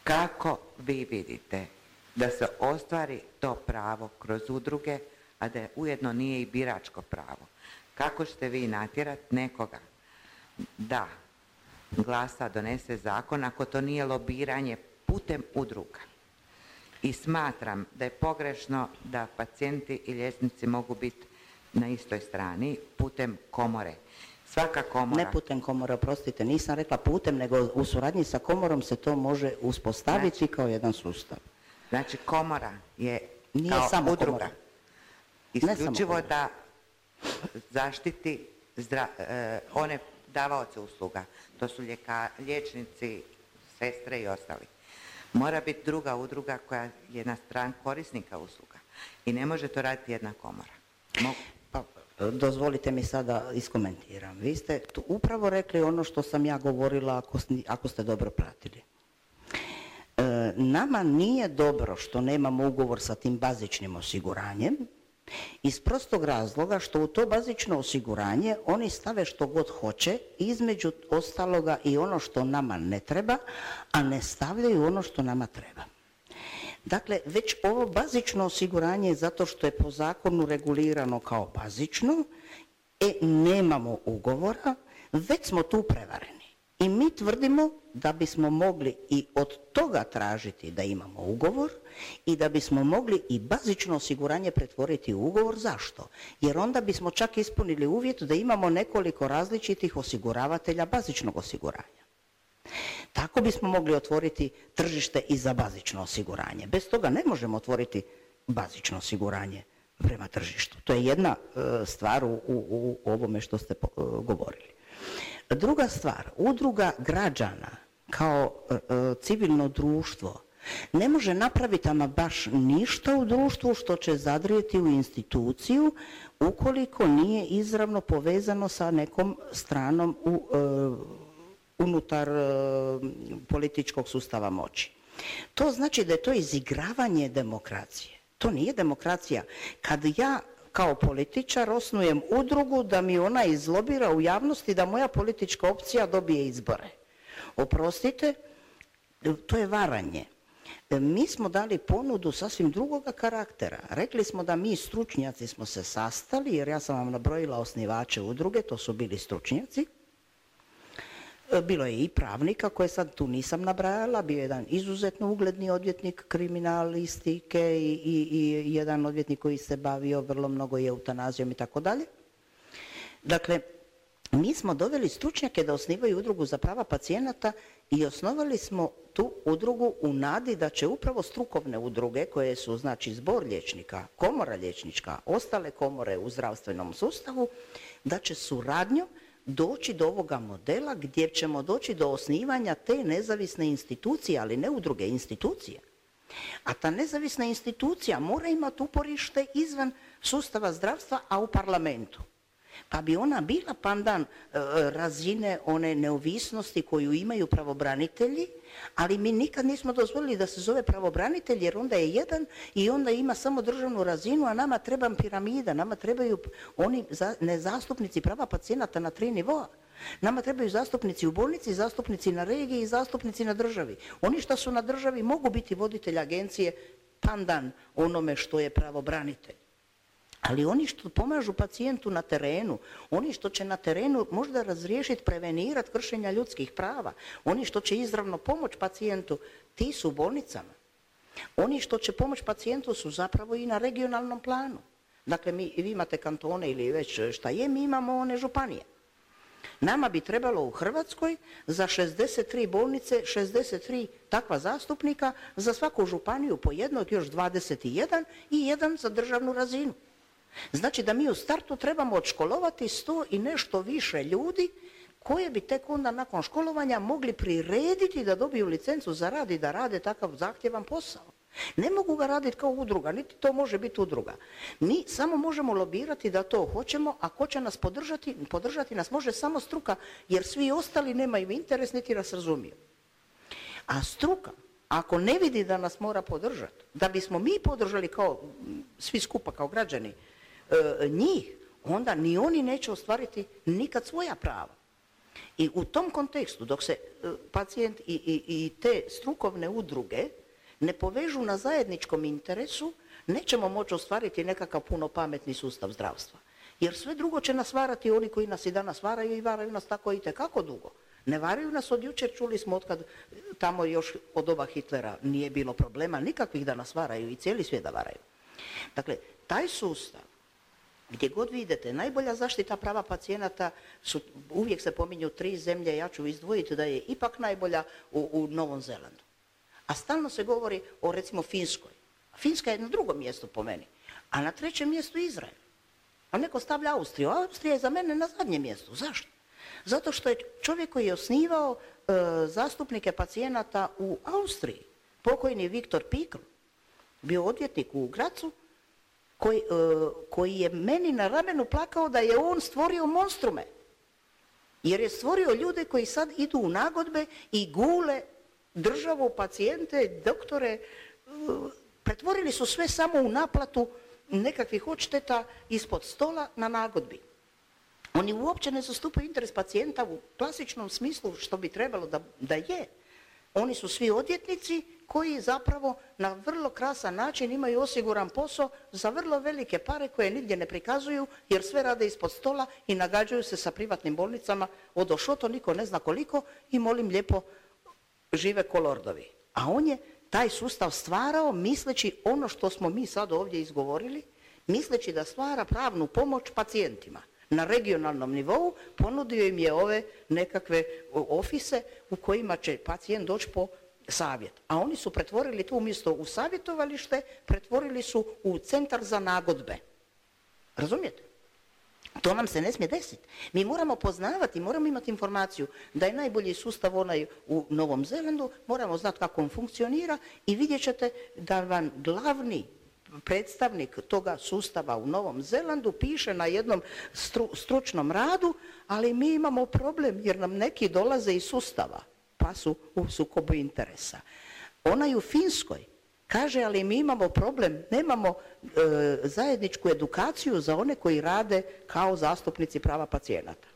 [SPEAKER 6] kako vi vidite da se ostvari to pravo kroz udruge, a da ujedno nije i biračko pravo? Kako ćete vi natjerati nekoga da glasa, donese zakon, ako to nije lobiranje putem udruga? I smatram da je pogrešno da pacijenti i liječnici mogu biti na istoj strani putem komore. Svaka komora... Ne putem komore, oprostite, nisam rekla putem, nego u suradnji sa komorom se to može uspostaviti znači, kao jedan sustav. Znači komora je nije kao samo udruga. Komora. Isključivo da zaštiti zdra, eh, one davaoce usluga. To su ljeka, liječnici, sestre i ostali. Mora biti druga udruga koja je na strani korisnika usluga. I ne može to raditi jedna komora. Mogu. Pa, dozvolite mi sada iskomentiram. Vi ste tu upravo rekli ono što sam ja govorila ako, ako ste dobro pratili. E, nama nije dobro što nemamo ugovor sa tim bazičnim osiguranjem, iz prostog razloga što u to bazično osiguranje oni stave što god hoće, između ostaloga i ono što nama ne treba, a ne stavljaju ono što nama treba. Dakle, već ovo bazično osiguranje, zato što je po zakonu regulirano kao bazično, e, nemamo ugovora, već smo tu prevareni. I mi tvrdimo da bismo mogli i od toga tražiti da imamo ugovor i da bismo mogli i bazično osiguranje pretvoriti u ugovor. Zašto? Jer onda bismo čak ispunili uvjet da imamo nekoliko različitih osiguravatelja bazičnog osiguranja. Tako bismo mogli otvoriti tržište i za bazično osiguranje. Bez toga ne možemo otvoriti bazično osiguranje prema tržištu. To je jedna e, stvar u, u, u ovome što ste po, e, govorili. Druga stvar, udruga građana kao e, civilno društvo ne može napraviti ama baš ništa u društvu što će zadrijeti u instituciju ukoliko nije izravno povezano sa nekom stranom u, e, unutar e, političkog sustava moći. To znači da je to izigravanje demokracije. To nije demokracija. Kad ja kao političar osnujem udrugu da mi ona izlobira u javnosti da moja politička opcija dobije izbore. Oprostite, to je varanje. Mi smo dali ponudu sasvim drugoga karaktera. Rekli smo da mi stručnjaci smo se sastali, jer ja sam vam nabrojila osnivače udruge, to su bili stručnjaci. Bilo je i pravnika koje sad tu nisam nabrajala, bio je jedan izuzetno ugledni odvjetnik kriminalistike i, i, i jedan odvjetnik koji se bavio vrlo mnogo i eutanazijom i tako dalje. Dakle, mi smo doveli stručnjake da osnivaju udrugu za prava pacijenata i osnovali smo tu udrugu u nadi da će upravo strukovne udruge koje su znači zbor liječnika, komora liječnička, ostale komore u zdravstvenom sustavu, da će suradnjom doći do ovoga modela gdje ćemo doći do osnivanja te nezavisne institucije, ali ne udruge, institucije.
[SPEAKER 4] A ta nezavisna institucija mora imati uporište izvan sustava zdravstva, a u parlamentu. Pa bi ona bila pandan e, razine one neovisnosti koju imaju pravobranitelji, ali mi nikad nismo dozvolili da se zove pravobranitelj, jer onda je jedan i onda ima samo državnu razinu, a nama treba piramida, nama trebaju oni za, ne zastupnici prava pacijenata na tri nivoa. Nama trebaju zastupnici u bolnici, zastupnici na regiji i zastupnici na državi. Oni što su na državi mogu biti voditelj agencije pandan onome što je pravobranitelj. Ali oni što pomažu pacijentu na terenu, oni što će na terenu možda razriješiti, prevenirati kršenja ljudskih prava, oni što će izravno pomoć pacijentu, ti su u bolnicama. Oni što će pomoć pacijentu su zapravo i na regionalnom planu. Dakle, mi, vi imate kantone ili već šta je, mi imamo one županije. Nama bi trebalo u Hrvatskoj za šezdeset tri bolnice, šezdeset tri takva zastupnika, za svaku županiju po jednog, još dvadeset jedan i jedan za državnu razinu. Znači da mi u startu trebamo odškolovati sto i nešto više ljudi koje bi tek onda nakon školovanja mogli prirediti da dobiju licencu za rad i da rade takav zahtjevan posao. Ne mogu ga raditi kao udruga, niti to može biti udruga. Mi samo možemo lobirati da to hoćemo, a ko će nas podržati? Podržati nas može samo struka, jer svi ostali nemaju interes niti nas razumiju. A struka, ako ne vidi da nas mora podržati, da bismo mi podržali kao svi skupa kao građani e, njih, onda ni oni neće ostvariti nikad svoja prava. I u tom kontekstu, dok se e, pacijent i, i, i te strukovne udruge ne povežu na zajedničkom interesu, nećemo moći ostvariti nekakav puno pametni sustav zdravstva. Jer sve drugo će nas varati oni koji nas i danas varaju i varaju nas tako i tekako dugo. Ne varaju nas od jučer, čuli smo otkad tamo još od doba Hitlera nije bilo problema nikakvih da nas varaju i cijeli svijet da varaju. Dakle, taj sustav, gdje god vi idete, najbolja zaštita prava pacijenata su, uvijek se pominju tri zemlje, ja ću izdvojiti da je ipak najbolja u, u Novom Zelandu. A stalno se govori o recimo Finskoj. Finska je na drugom mjestu po meni, a na trećem mjestu Izrael. A neko stavlja Austriju. Austrija je za mene na zadnjem mjestu. Zašto? Zato što je čovjek koji je osnivao e, zastupnike pacijenata u Austriji, pokojni Viktor Pikl, bio odvjetnik u Gracu, koji, e, koji je meni na ramenu plakao da je on stvorio monstrume. Jer je stvorio ljude koji sad idu u nagodbe i gule državu, pacijente, doktore, pretvorili su sve samo u naplatu nekakvih odšteta ispod stola na nagodbi. Oni uopće ne zastupaju interes pacijenta u klasičnom smislu što bi trebalo da, da je. Oni su svi odvjetnici koji zapravo na vrlo krasan način imaju osiguran posao za vrlo velike pare koje nigdje ne prikazuju jer sve rade ispod stola i nagađaju se sa privatnim bolnicama od ošoto, niko ne zna koliko i molim lijepo žive ko lordovi. A on je taj sustav stvarao misleći ono što smo mi sad ovdje izgovorili, misleći da stvara pravnu pomoć pacijentima. Na regionalnom nivou ponudio im je ove nekakve ofise u kojima će pacijent doći po savjet. A oni su pretvorili to umjesto u savjetovalište, pretvorili su u centar za nagodbe. Razumijete? To nam se ne smije desiti. Mi moramo poznavati, moramo imati informaciju da je najbolji sustav onaj u Novom Zelandu, moramo znati kako on funkcionira i vidjet ćete da vam glavni predstavnik toga sustava u Novom Zelandu piše na jednom stru, stručnom radu, ali mi imamo problem jer nam neki dolaze iz sustava, pa su u sukobu interesa. Onaj u Finskoj kaže, ali mi imamo problem, nemamo e, zajedničku edukaciju za one koji rade kao zastupnici prava pacijenata.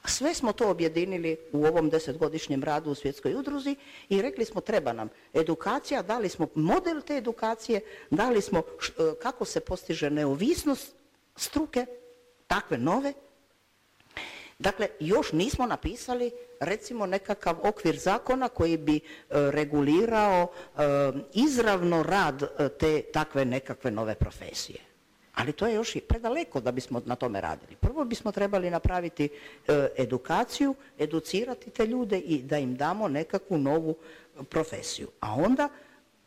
[SPEAKER 4] Sve smo to objedinili u ovom desetgodišnjem radu u Svjetskoj udruzi i rekli smo treba nam edukacija, dali smo model te edukacije, dali smo š, kako se postiže neovisnost struke, takve nove. Dakle, još nismo napisali recimo nekakav okvir zakona koji bi e, regulirao e, izravno rad e, te takve nekakve nove profesije. Ali to je još i predaleko da bismo na tome radili. Prvo bismo trebali napraviti e, edukaciju, educirati te ljude i da im damo nekakvu novu profesiju. A onda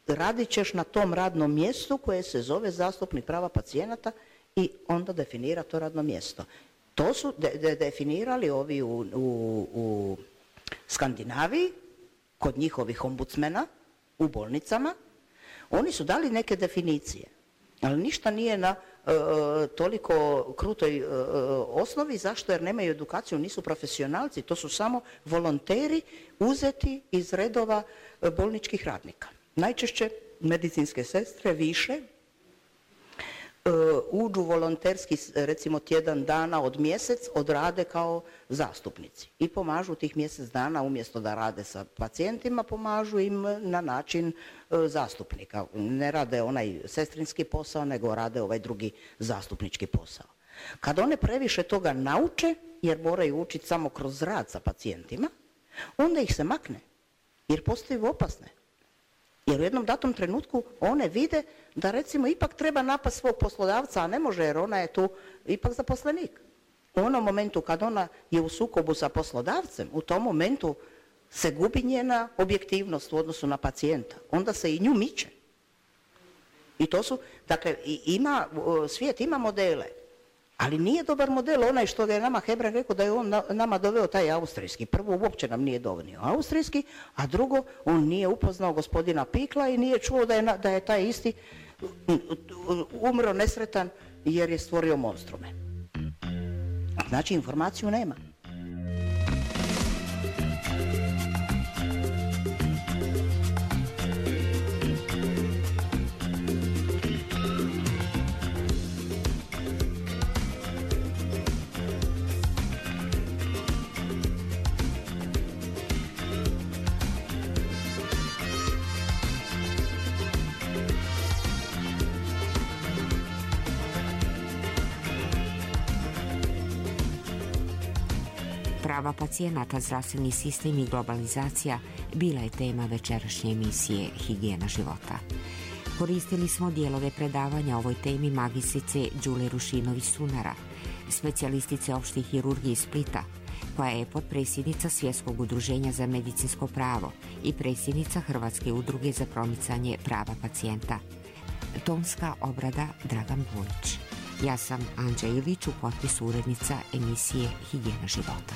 [SPEAKER 4] radit ćeš na tom radnom mjestu koje se zove zastupnik prava pacijenata i onda definira to radno mjesto. To su de, de, definirali ovi u, u, u Skandinaviji, kod njihovih ombudsmena, u bolnicama. Oni su dali neke definicije, ali ništa nije na e, toliko krutoj e, osnovi. Zašto? Jer nemaju edukaciju, nisu profesionalci, to su samo volonteri uzeti iz redova bolničkih radnika. Najčešće medicinske sestre više uđu volonterski, recimo tjedan dana od mjesec, odrade kao zastupnici i pomažu tih mjesec dana, umjesto da rade sa pacijentima, pomažu im na način zastupnika. Ne rade onaj sestrinski posao, nego rade ovaj drugi zastupnički posao. Kad one previše toga nauče, jer moraju učiti samo kroz rad sa pacijentima, onda ih se makne, jer postaju opasne. Jer u jednom datom trenutku one vide da recimo ipak treba napast svog poslodavca, a ne može jer ona je tu ipak zaposlenik. U onom momentu kad ona je u sukobu sa poslodavcem, u tom momentu se gubi njena objektivnost u odnosu na pacijenta. Onda se i nju miče. I to su, dakle, ima, svijet ima modele, ali nije dobar model onaj što je nama Hebrang rekao da je on nama doveo taj austrijski. Prvo, uopće nam nije donio austrijski, a drugo, on nije upoznao gospodina Pikla i nije čuo da je, da je taj isti umro nesretan jer je stvorio monstrume. Znači, informaciju nema.
[SPEAKER 3] Prava pacijenata, zdravstveni sistem i globalizacija bila je tema večerašnje emisije Higijena života. Koristili smo dijelove predavanja o ovoj temi magistrice Đule Rušinović-Sunara, specijalistice opšte hirurgije iz Splita, koja je potpredsjednica Svjetskog udruženja za medicinsko pravo i predsjednica Hrvatske udruge za promicanje prava pacijenta. Tonska obrada Dragan Bulić. Ja sam Anđa Ilić, u potpisu urednica emisije Higijena života.